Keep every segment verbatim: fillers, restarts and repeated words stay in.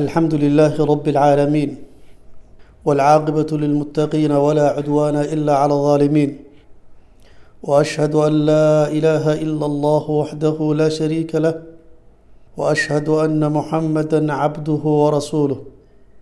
الحمد لله رب العالمين، والعاقبة للمتقين، ولا عدوان إلا على الظالمين، وأشهد أن لا إله إلا الله وحده لا شريك له، وأشهد أن محمدا عبده ورسوله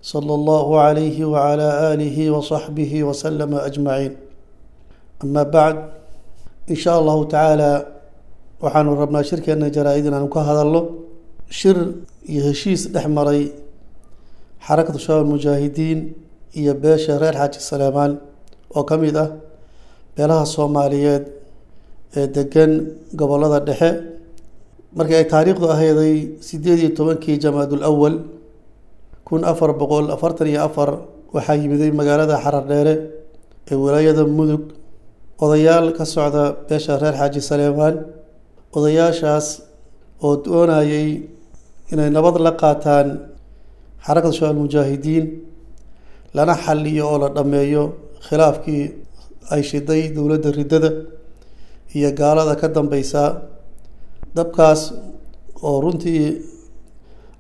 صلى الله عليه وعلى آله وصحبه وسلم أجمعين. أما بعد، إن شاء الله تعالى waxaanu rabnaa shirkeena jaraa-id inaanu ka hadalno shir iyo heshiis dhex maray Xarakatu Shabaab Mujaahidiin iyo beesha reer Xaaji Saleemaan oo ka mid ah beelaha Soomaaliyeed ee degan gobollada dhexe. Markii ay taariikhdu ahayday sideed iyo tobankii Jamaadul Awal kun afar boqol afartan iyo afar, waxaa yimiday magaalada Xarardheere ee wilaayada Mudug odayaal ka socda beesha reer Xaaji Saleemaan, odayaashaas oo doonayay inay nabad la qaataan Xarakada Shabaab Mujaahidiin, lana xaliyo oo la dhammeeyo khilaafkii ay shiday dowladda riddada iyo gaalada ka dambeysa, dabkaas oo runtii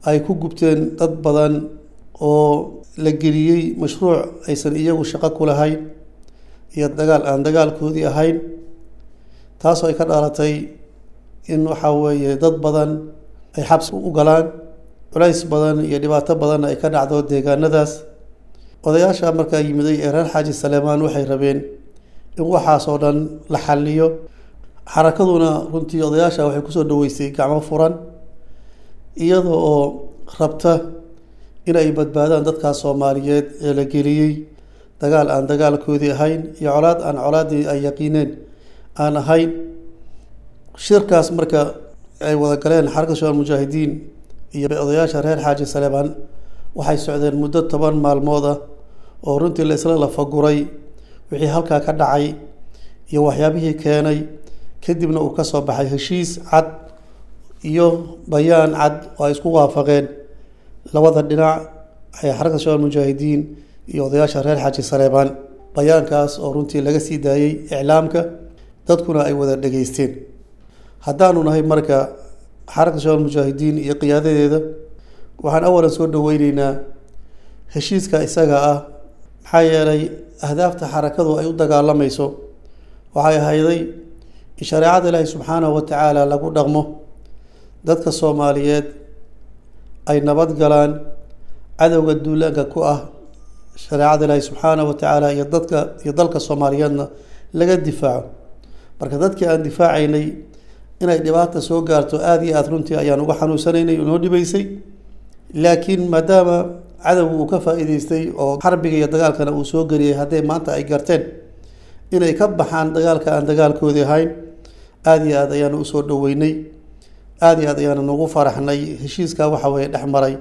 ay ku gubteen dad badan oo la geliyey mashruuc aysan iyagu shaqo ku lahayn iyo dagaal aan dagaalkoodii ahayn, taasoo ay ka dhalatay in waxa weeye dad badan ay xabsi u galaan, culays badan iyo dhibaato badanna ay ka dhacdo deegaanadaas. Odayaasha markaa yimiday ee reer Xaaji Saleemaan waxay rabeen in waxaasoo dhan la xaliyo. Xarakaduna runtii odayaasha waxay kusoo dhaweysay gacmo furan, iyada oo rabta in ay badbaadaan dadkaas Soomaaliyeed ee la geliyey dagaal aan dagaalkoodii ahayn iyo colaad aan colaaddii ay yaqiineen aan ahayn. Shirkaas marka ay wada galeen Xarakada Shabaab Mujaahidiin iyo odayaasha reer Xaaji Saleebaan waxay socdeen muddo toban maalmood ah oo runtii la isla lafaguray wixii halkaa ka dhacay iyo waxyaabihii keenay, kadibna uu ka soo baxay heshiis cad iyo bayaan cad oo ay isku waafaqeen labada dhinac ee Xarakada Shabaab Mujaahidiin iyo odayaasha reer Xaaji Saleebaan, bayaankaas oo runtii laga sii daayey iclaamka, dadkuna ay wada dhegeysteen. Haddaanu nahay marka Xarakada Shabaab Mujaahidiin iyo qiyaadadeeda, waxaan awalan soo dhaweyneynaa heshiiska isaga ah, maxaa yeelay ahdaafta xarakadu ay u dagaalamayso waxay ahayday in shareecada Ilaahi subxaanahu wa tacaala lagu dhaqmo, dadka Soomaaliyeed ay nabad galaan, cadowga duulaanka ku ah shareecada Ilaahi subxaanahu wa tacaala iyo dadka iyo dalka Soomaaliyeedna laga difaaco. Marka dadkii aan difaacaynay inay dhibaata soo gaarto aada iyo aada runtii ayaan uga xanuunsanaynay, inoo dhibaysay. Laakiin maadaama cadowgu uu ka faa'iideystay oo xarbiga iyo dagaalkana uu soo geliyey, hadday maanta ay garteen inay ka baxaan dagaalka aan dagaalkoodii ahayn, aada iyo aad ayaanu usoo dhaweynay, aada iyo aad ayaanu nagu faraxnay heshiiskaa waxa weeye dhex maray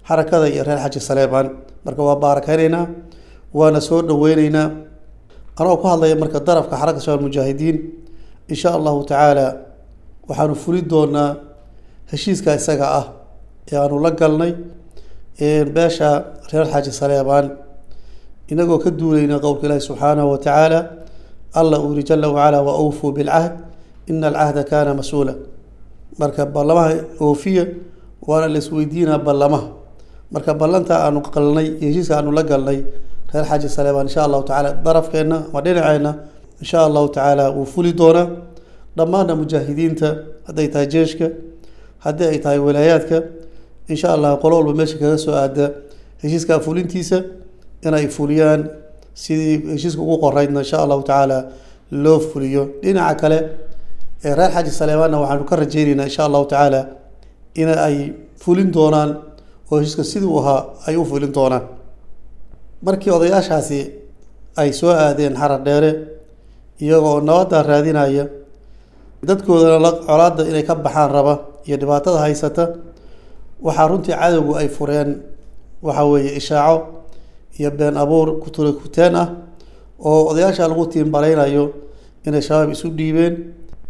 xarakada iyo reer Xaaji Saleebaan. Marka waa baarakeyneynaa, waana soo dhaweyneynaa. Anoo ku hadlaya marka darafka Xarakada Shabaab Mujaahidiin, insha Allahu tacaala waxaanu fuli doonaa heshiiska isaga ah ee aanu la galnay beesha reer Xaaji Saleebaan, inagoo ka duuleyna qowlka Ilaahi subxaanahu wa tacaala. Alla uu yiri jala wacala: "Wa awfuu bilcahd, ina alcahda kaana mas-uula." Marka ballamaha oofiya, waana la isweydiinaa ballamaha. Marka ballanta aanu qalnay iyo heshiiska aanu la galnay reer Xaaji Saleebaan, insha Allahu tacaala darafkeenna ama dhinaceenna insha Allahu tacaala wuu fuli doonaa. Dhammaanna mujaahidiinta, hadday tahay jeeshka, haddii ay tahay walaayaadka, insha Allah qolo walba meesha kaga soo aada heshiiskaa fulintiisa inay fuliyaan, sidii heshiiska ugu qoraydna insha Allahu tacaala loo fuliyo. Dhinaca kale ee reer Xaaji Saleebaanna waxaanu ka rajeyneynaa insha Allahu tacaala in ay fulin doonaan oo heshiiska sidii uu ahaa ay u fulin doonaan. Markii odayaashaasi ay soo aadeen Xarar Dheere iyagoo nabadda raadinaya, dadkoodana la colaadda inay ka baxaan raba iyo dhibaatada haysata, waxaa runtii cadowgu ay fureen waxa weeye ishaaco iyo been abuur kutule kuteen ah oo odayaasha lagu tiimbareynayo inay Shabaab isu dhiibeen,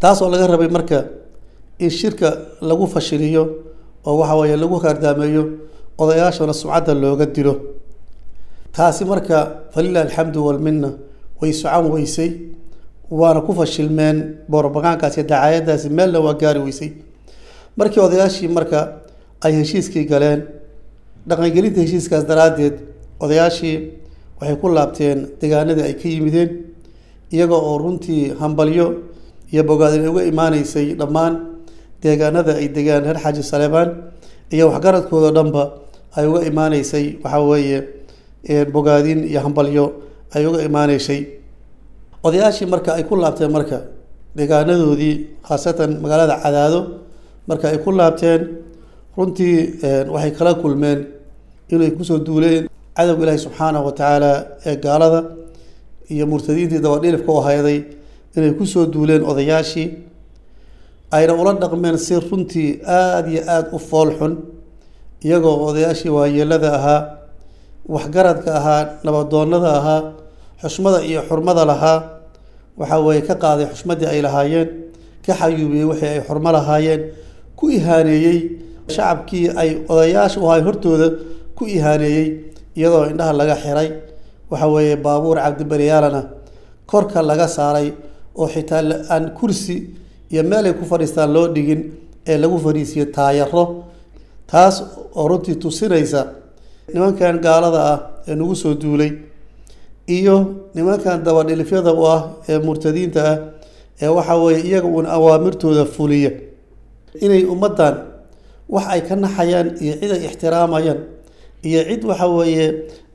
taasoo laga rabay marka in shirka lagu fashiliyo oo waxa weeye lagu kaardaameeyo, odayaashana sumcadda looga dilo. Taasi marka falilah alxamdu walmina way socon weysay, waana ku fashilmeen boorobagaankaas iyo dacaayadaasi, meelna waa gaari weysay. Markii odayaashii marka ay heshiiskii galeen Dhaqangelinta heshiiskaas daraaddeed odayaashii waxay ku laabteen deegaanadii ay ka yimideen, iyaga oo runtii hambalyo iyo bogaadin ay uga imaaneysay dhammaan deegaanada ay degaan reer Xaaji Saleebaan iyo waxgaradkooda dhanba ay uga imaaneysay, waxaa weeye bogaadin iyo hambalyo ay uga imaaneysay. Odayaashii marka ay ku laabteen marka deegaanadoodii, khaasatan magaalada Cadaado, marka ay ku laabteen runtii waxay kala kulmeen inay kusoo duuleen cadowga Ilaahi subxaanahu wa tacaala ee gaalada iyo murtadiintii dabadhilifka u hayday, inay kusoo duuleen odayaashii, ayna ula dhaqmeen si runtii aada iyo aada u fool xun, iyagoo odayaashii waayeelada ahaa, waxgaradka ahaa, nabadoonnada ahaa, xushmada iyo xurmada lahaa, waxa weeye ka qaaday xushmaddii ay lahaayeen, ka xayuubiyey wixii ay xurmo lahaayeen, ku ihaaneeyey shacabkii ay odayaasha u ahay hortooda ku ihaaneeyey, iyadoo indhaha laga xiray, waxa weeye baabuur cabdibaryaalana korka laga saaray oo xitaa aan kursi iyo meel ay ku fadhiistaan loo dhigin ee lagu fadhiisiyo taayaro. Taas oo runtii tusinaysa nimankan gaalada ah ee nagu soo duulay iyo nimankan dabadhilifyada u ah ee murtadiinta ah ee waxa weeye iyaga uun awaamirtooda fuliya, inay ummaddan wax ay ka naxayaan iyo cid ay ixtiraamayaan iyo cid waxa weeye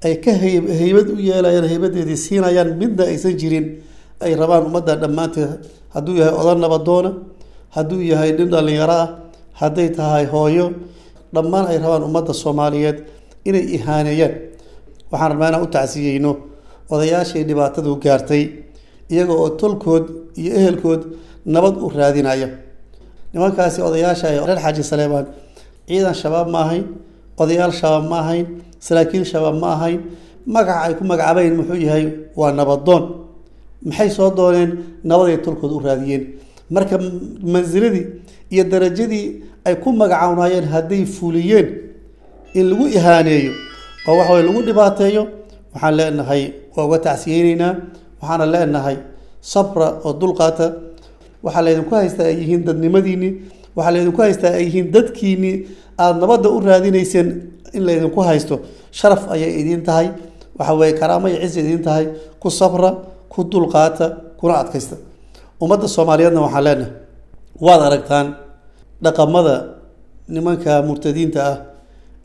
ay ka hay haybad u yeelayaan, haybadeedii siinayaan midna aysan jirin. Ay rabaan ummaddan dhammaanteed, hadduu yahay odan nabadoona, hadduu yahay nin dhallinyaro ah, hadday tahay hooyo, dhammaan ay rabaan ummadda Soomaaliyeed inay ihaaneeyaan. Waxaan rabnaa inaan u tacsiyeyno odayaashii dhibaatadu gaartay, iyaga oo tolkood iyo ehelkood nabad u raadinaya. Nimankaasi odayaasha ee reer Xaaji Saleebaan ciidan shabaab ma ahayn, odayaal shabaab ma ahayn, saraakiil shabaab ma ahayn. Magaca ay ku magacaabayn muxuu yahay? Waa nabadoon. Maxay soo dooneen? Nabaday tolkood u raadiyeen. Marka mansiladii iyo darajadii ay ku magacawnaayeen hadday fuliyeen, in lagu ihaaneeyo oo waxa weye lagu dhibaateeyo, waxaan leenahay waa uga tacsiyeyneynaa. Waxaana leenahay sabra oo dulqaata. Waxaa laydinku haystaa ay yihiin dadnimadiinii, waxaa laydinku haystaa ay yihiin dadkiinii aada nabadda u raadinayseen. In laydinku haysto sharaf ayay idiin tahay, waxa weeye karaamo iyo cisi idiin tahay. Ku sabra, ku dulqaata, kuna adkaysta. Ummadda Soomaaliyeedna waxaan leenahay waad aragtaan dhaqamada nimanka murtadiinta ah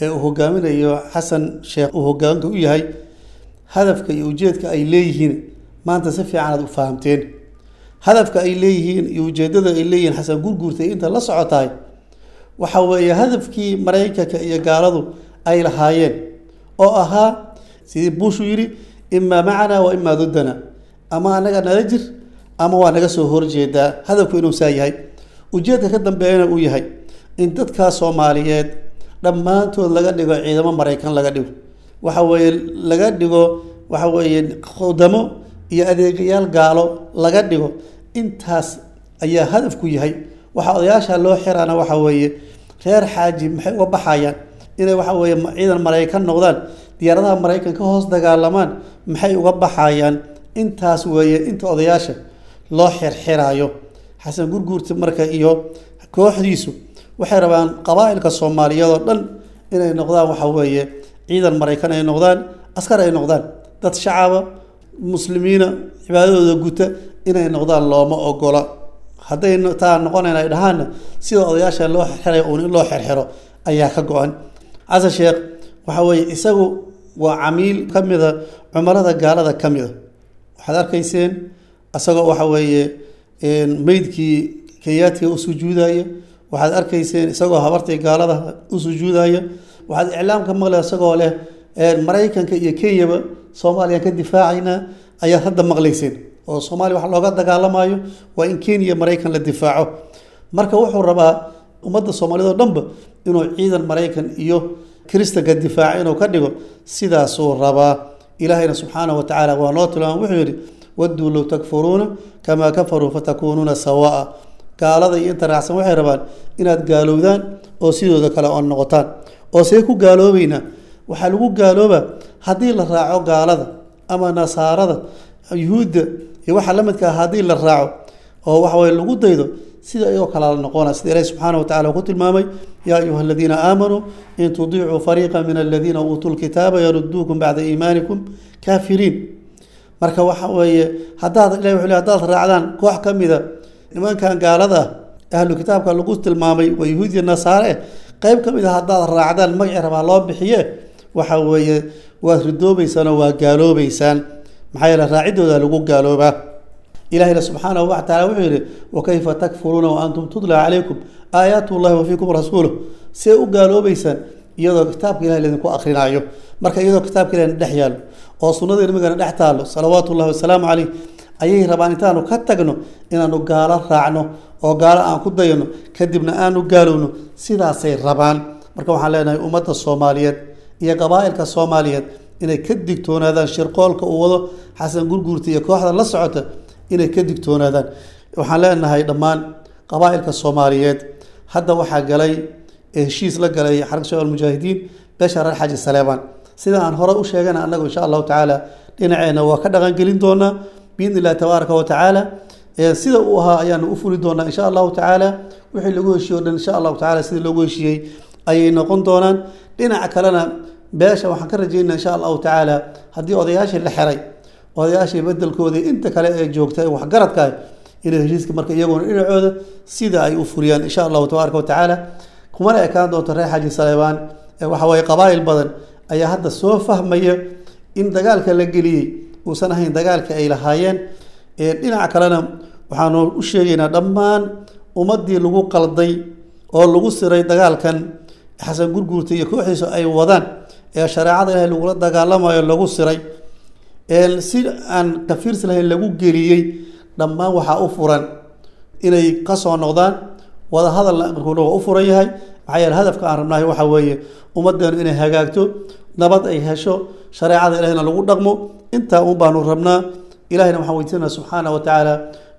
ee uu hogaaminayo Xasan Sheekh uu hogaanka u yahay, hadafka iyo ujeedka ay leeyihiin maanta si fiican aad u fahamteen. Hadafka ay leeyihiin iyo ujeeddada ay leeyihiin Xasan Gurguurtay inta la socotahay waxa weeye hadafkii Maraykanka iyo gaaladu ay lahaayeen oo ahaa sidii Bush uu yidhi, imaa macanaa wa imaa duddana, ama annaga nala jir ama waa naga soo horjeedaa. Hadafku inuu saa yahay, ujeedka ka dambeeyana uu yahay in dadkaa Soomaaliyeed dhammaantood laga dhigo ciidamo Maraykan laga dhigo, waxa weeye laga dhigo waxa weeye khudamo iyo adeegayaal gaalo laga dhigo. Intaas ayaa hadafku yahay. Waxaa odayaasha loo xiraana waxa weeye reer Xaaji maxay uga baxayaan inay waxa weeye ciidan Maraykan noqdaan, diyaaradaha Maraykan ka hoos dagaalamaan, maxay uga baxayaan? Intaas weeye inta odayaasha loo xirxiraayo. Xasan Gurguurta marka iyo kooxdiisu waxay rabaan qabaa'ilka Soomaaliyeed oo dhan inay noqdaan waxa weeye ciidan Maraykan ay noqdaan, askar ay noqdaan, dad shacaba muslimiina cibaadadooda guta inay noqdaan looma ogola. Hadday taa noqonayn ay dhahaanna, sida odayaasha loo xirxirayo uun in loo xirxiro ayaa ka go-an. Xasan Sheekh waxa weeye isagu waa camiil ka mida cumarada gaalada ka mida. Waxaad arkayseen isagoo waxa weeye meydkii Kenyaatiga u sujuudaya, waxaad arkayseen isagoo habartii gaalada u sujuudaya, waxaad iclaamka maqlay isagoo leh Maraykanka iyo Kenyaba Soomaaliya ka difaacaynaa ayaad hadda maqlayseen, oo Soomaaliya wax looga dagaalamayo waa in Kenya Maraykan la difaaco. Marka wuxuu rabaa ummadda Soomaaliyed oo dhanba inuu ciidan Maraykan iyo Kiristanka difaaco inuu ka dhigo, sidaasuu rabaa. Ilaahayna subxaanahu wa tacaala waa noo tilmaam, wuxuu yidhi wadduu low takfuruuna kamaa kafaruu fatakuunuuna sawaa'a. Gaalada iyo inta raacsan waxay rabaan inaad gaalowdaan oo sidooda kale oo noqotaan. Oo see ku gaaloobeynaa? Waxaa lagu gaaloobaa haddii la raaco gaalada ama nasaarada, yuhuudda iyo waxa la midka ah, haddii la raaco Oo waxa weye lagu daydo sida iyagoo kala la noqona, sida Ilaahi subxaana wa tacala ku tilmaamay: "Yaa ayuha aladiina aamanuu in tudiicuu fariiqa min aladiina uutuu lkitaaba yaruduukum bacda iimaanikum kaafiriin." Marka waxa weeye, haddaad, Ilahi wuxuu leey, haddaad raacdaan koox ka mida nimankan gaalada ah, ahlu kitaabka lagu tilmaamay, waa yahuudiya nasaare, qeyb ka mid a haddaad raacdaan, magacii rabaa loo bixiye, waxa weeye waad ridoobeysaan oo waa gaaloobeysaan. Maxaa yeele raaciddooda lagu gaaloobaa. Ilahina subxaanahu wa tacala wuxuu yihi: "Wakayfa takfuruuna wa antum tutla calaykum aayaat llahi wa fiikum rasuuluh." See u gaaloobeysaan iyadoo kitaabka Ilahay laydinku akrinaayo? Marka iyadoo kitaabka Ilahina dhex yaalo oo sunnada nabigana dhex taalo salawaatu llahi wasalaamu caleyh, ayay rabaan intaanu ka tagno inaanu gaalo raacno oo gaalo aan ku dayano, kadibna aanu gaalowno. Sidaasay rabaan. Marka waxaan leenahay ummadda Soomaaliyeed iyo qabaa'ilka Soomaaliyeed inay ka digtoonaadaan shirqoolka uu wado Xasan Gurguurta iyo kooxda la socota, inay ka digtoonaadaan. Waxaan leenahay dhammaan qabaa'ilka Soomaaliyeed, hadda waxaa galay heshiis la galay Xarka Shabaab Almujaahidiin beesha reer Xaaji Saleebaan. Sida aan hore u sheegana, annagu insha Allahu tacaala dhinaceena waa ka dhaqangelin doonaa biidni illahi tabaaraka wa tacaala. Sida uu ahaa ayaanu u fuli doonaa insha Allahu tacaala. Wixii lagu heshiiye o dhan insha Allahu tacala sidii loogu heshiiyey ayay noqon doonaan. Dhinaca kalena beesha waxaan ka rajeynaa insha Allahu tacaala, haddii odayaashii la xiray, odayaashii bedelkoodii inta kale ee joogta ee waxgaradka ah inay heshiiska marka iyaguna dhinacooda sida ay u fuliyaan insha Allahu tabaaraka wa tacaala. Kumana ekaan doonto reer Xaaji Saleebaan. Waxa waye qabaa'il badan ayaa hadda soo fahmaya in dagaalka la geliyey uusan ahayn dagaalka ay lahaayeen. Dhinaca kalena waxaanu u sheegaynaa dhammaan ummaddii lagu qalday oo lagu siray dagaalkan Xasan Gurguurta iyo kooxdiisa ay wadaan ee shareecada Ilahay lagula dagaalamayo, lagu siray si aan kafiirsi lahayn lagu geliyey, dhammaan waxaa u furan inay kasoo noqdaan. Wada hadalna markuuna waa u furan yahay. Maxaa yeele hadafka aan rabnahay waxaa weeye ummaddeenu inay hagaagto, nabad ay hesho, shareecada Ilahina lagu dhaqmo. Intaa un baanu rabnaa. Ilahina waxaan weydiisanaa subxaana wa tacaala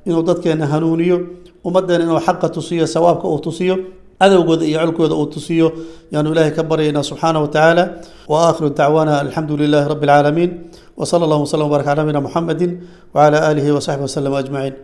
inuu dadkeena hanuuniyo, ummaddeena inuu xaqa tusiyo, sawaabka uu tusiyo, cadowgooda iyo colkooda uu tusiyo yaanu Ilahay ka baryaynaa subxaana wa tacaala. Wa aakhiru dacwaana alxamdu lilahi rabbi alcaalamiin, wa sala allahu wasalam wbarak cala nabiyina Muxamedi wacala aalihi wa saxbihi wasalam ajmaciin.